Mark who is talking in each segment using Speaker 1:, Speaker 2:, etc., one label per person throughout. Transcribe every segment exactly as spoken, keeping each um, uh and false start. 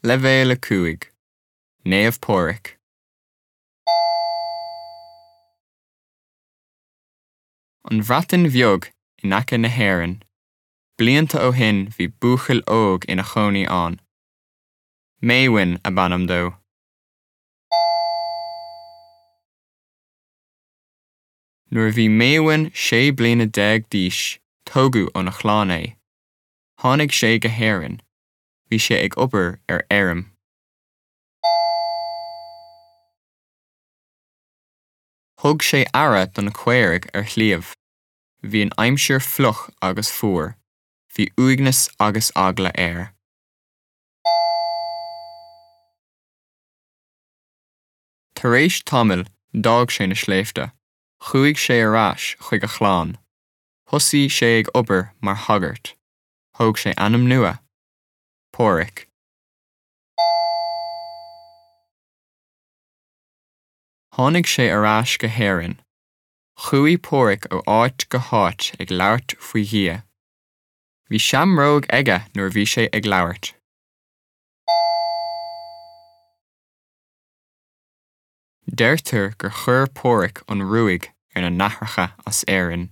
Speaker 1: Leibhéal a cúig. Naomh Pádraig. An Bhreatain Bheag in aice na hÉireann. Blianta ó shin bhí buachaill óg ina chónaí ann. Maewyn ab ainm dó. Nuair a bhí Maewyn sé bliana déag d'aois, tógadh óna chlann é. Tháinig sé go hÉirinn. Bhí sé ag obair ar fheirm. Thug sé aire do na caoirigh ar shliabh. Bhí an aimsir fliuch agus fuar. Bhí uaigneas agus eagla air. Tar éis tamaill d'fhág sé na sléibhte. Chuaigh sé ar ais chuig a chlann. Thosaigh sé ag obair mar shagart. Thóg sé ainm nua. Pádraig. Tháinig sé ar ais go hÉirinn. Chuaigh Pádraig ó áit go háit ag labhairt faoi Dhia. Bhí seamróg aige nuair a bhí sé ag labhairt. Deirtear gur chuir Pádraig an ruaig ar na nathracha as Éirinn.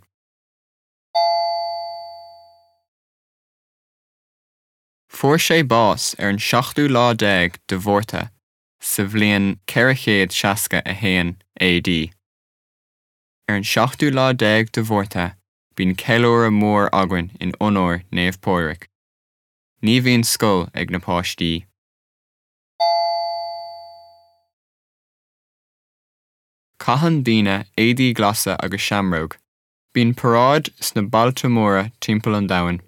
Speaker 1: Fuair sé bás ar an seachtú lá déag de Mhárta sa bhliain ceithre chéad seasca a haon AD. Ar an seachtú lá déag de Mhárta, bíonn ceiliúradh mór againn in onóir Naomh Pádraig. Ní bhíonn scoil ag na páistí. Caitheann daoine éadaí glasa agus seamróg. Bíonn paráid sna bailte móra timpeall an domhain.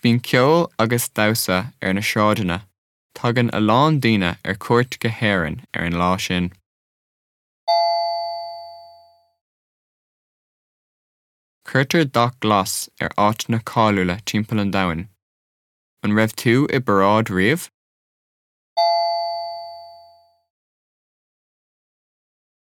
Speaker 1: Bíonn ceol agus damhsa ar na sráideanna. Tagann a lán daoine ar cuairt go hÉirinn ar an lá sin. Cuirtear dath glas ar áiteanna cáiliúla timpeall an domhain. An raibh tú i bparáid riamh?